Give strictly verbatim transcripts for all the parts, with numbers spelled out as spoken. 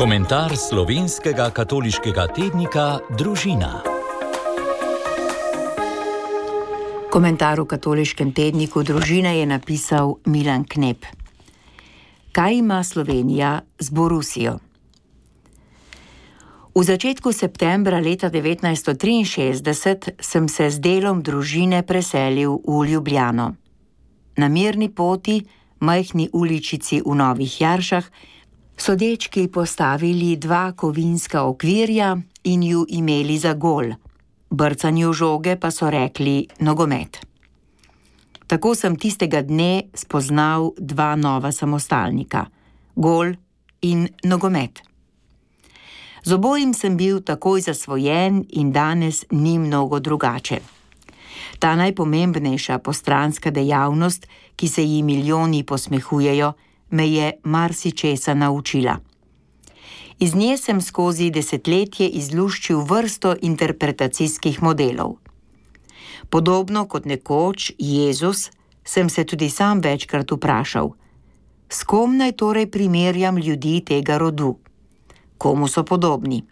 Komentar slovenskega katoliškega tednika Družina. Komentar v katoliškem tedniku Družina je napisal Milan Knep. Kaj ima Slovenija z Borussijo? V začetku septembra leta devetnajststo triinšestdeset sem se z delom družine preselil v Ljubljano. Na mirni poti, majhni uličici v Novih Jaršah, so dečki postavili dva kovinska okvirja in ju imeli za gol. Brcanju žoge pa so rekli nogomet. Tako sem tistega dne spoznal dva nova samostalnika, gol in nogomet. Z obojim sem bil takoj zasvojen in danes ni mnogo drugače. Ta najpomembnejša postranska dejavnost, ki se ji milijoni posmehujejo, me je marsičesa naučila. Iz nje sem skozi desetletje izluščil vrsto interpretacijskih modelov. Podobno kot nekoč Jezus, sem se tudi sam večkrat vprašal, s kom naj torej primerjam ljudi tega rodu? Komu so podobni?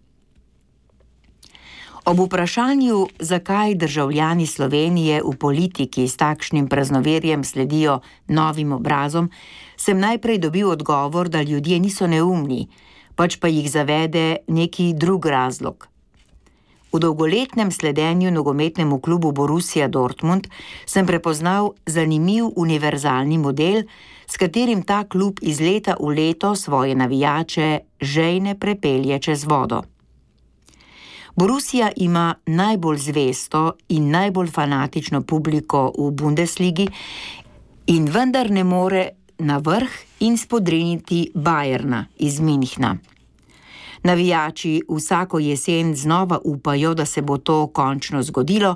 Ob vprašanju, zakaj državljani Slovenije v politiki s takšnim praznoverjem sledijo novim obrazom, sem najprej dobil odgovor, da ljudje niso neumni, pač pa jih zavede neki drug razlog. V dolgoletnem sledenju nogometnemu klubu Borussia Dortmund sem prepoznal zanimiv univerzalni model, s katerim ta klub iz leta v leto svoje navijače žejne prepelje čez vodo. Borussia ima najbolj zvesto in najbolj fanatično publiko v Bundesligi in vendar ne more na vrh in spodriniti Bayerna iz Münchna. Navijači vsako jesen znova upajo, da se bo to končno zgodilo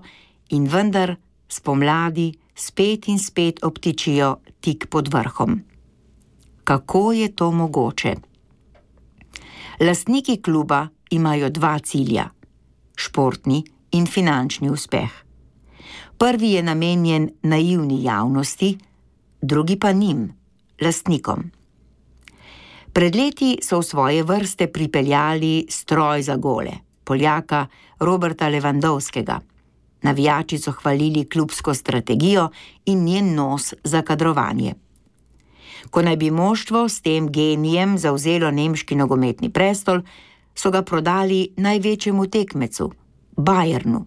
in vendar spomladi spet in spet obtičijo tik pod vrhom. Kako je to mogoče? Lastniki kluba imajo dva cilja. Športni in finančni uspeh. Prvi je namenjen naivni javnosti, drugi pa njim, lastnikom. Pred leti so v svoje vrste pripeljali stroj za gole, Poljaka Roberta Lewandowskega. Navijači so hvalili klubsko strategijo in njen nos za kadrovanje. Ko naj bi moštvo s tem genijem zavzelo nemški nogometni prestol, so ga prodali največjemu tekmecu, Bayernu.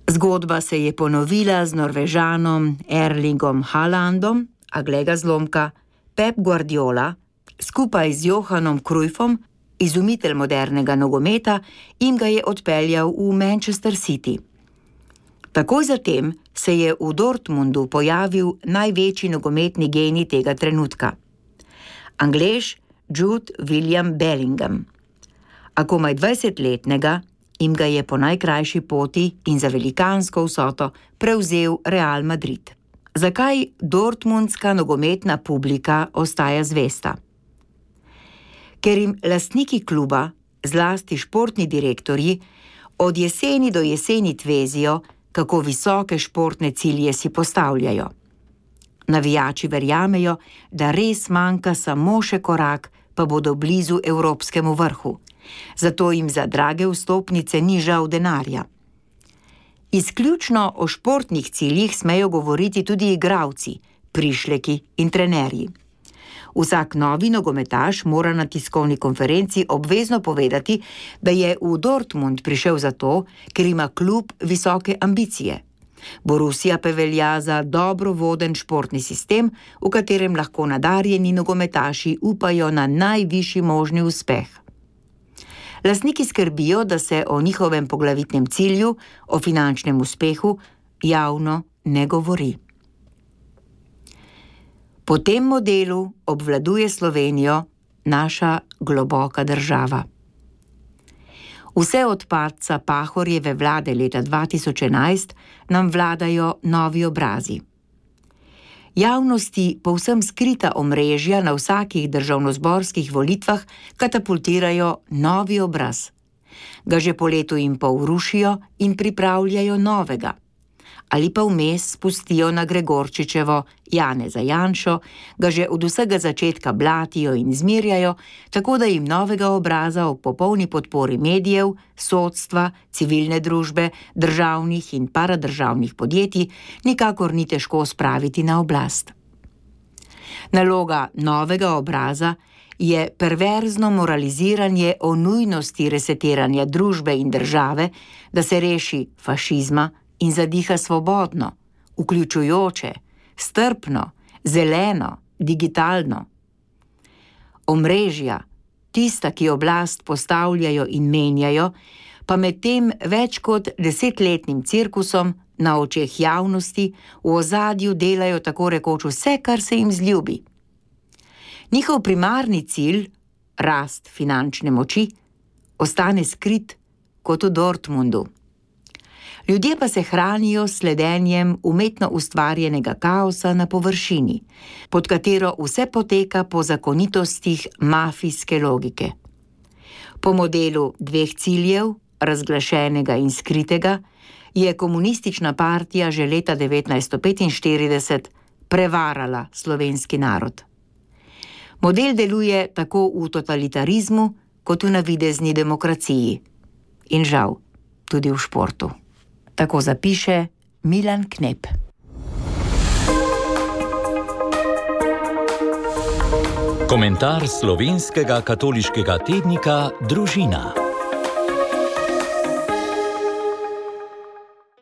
Zgodba se je ponovila z Norvežanom Erlingom Haalandom, a glej ga zlomka, Pep Guardiola, skupaj z Johanom Cruyffom, izumitelj modernega nogometa, in ga je odpeljal v Manchester City. Takoj zatem se je v Dortmundu pojavil največji nogometni genij tega trenutka. Anglež Jude William Bellingham. A komaj dvajsetletnega jim ga je po najkrajši poti in za velikansko vsoto prevzel Real Madrid. Zakaj dortmundska nogometna publika ostaja zvesta? Ker jim lastniki kluba, zlasti športni direktorji, od jeseni do jeseni tvezijo, kako visoke športne cilje si postavljajo. Navijači verjamejo, da res manjka samo še korak, pa bodo blizu evropskemu vrhu. Zato jim za drage vstopnice ni žal denarja. Izključno o športnih ciljih smejo govoriti tudi igralci, prišleki in trenerji. Vsak novi nogometaš mora na tiskovni konferenci obvezno povedati, da je v Dortmund prišel zato, ker ima klub visoke ambicije. Borussia pa velja za dobro voden športni sistem, v katerem lahko nadarjeni nogometaši upajo na najvišji možni uspeh. Lastniki skrbijo, da se o njihovem poglavitnem cilju, o finančnem uspehu, javno ne govori. Po tem modelu obvladuje Slovenijo naša globoka država. Vse od padca Pahorjeve vlade leta dva tisoč enajst nam vladajo novi obrazi. Javnosti povsem skrita omrežja na vsakih državnozborskih volitvah katapultirajo novi obraz. Ga že po letu in pol rušijo in pripravljajo novega. ali pa vmes spustijo na Gregorčičevo Janeza Janšo, ga že od vsega začetka blatijo in zmirjajo, tako da jim novega obraza v popolni podpori medijev, sodstva, civilne družbe, državnih in paradržavnih podjetij nikakor ni težko spraviti na oblast. Naloga novega obraza je perverzno moraliziranje o nujnosti resetiranja družbe in države, da se reši fašizma in zadiha svobodno, vključujoče, strpno, zeleno, digitalno. Omrežja, tista, ki oblast postavljajo in menjajo, pa med tem več kot desetletnim cirkusom na očeh javnosti v ozadju delajo tako rekoč vse, kar se jim zljubi. Njihov primarni cilj, rast finančne moči, ostane skrit kot v Dortmundu. Ljudje pa se hranijo s sledenjem umetno ustvarjenega kaosa na površini, pod katero vse poteka po zakonitostih mafijske logike. Po modelu dveh ciljev, razglašenega in skritega, je komunistična partija že leta devetnajststo petinštirideset prevarala slovenski narod. Model deluje tako v totalitarizmu, kot v navidezni demokraciji. In žal, tudi v športu. Tako zapiše Milan Knep. Komentar slovenskega katoliškega tednika Družina.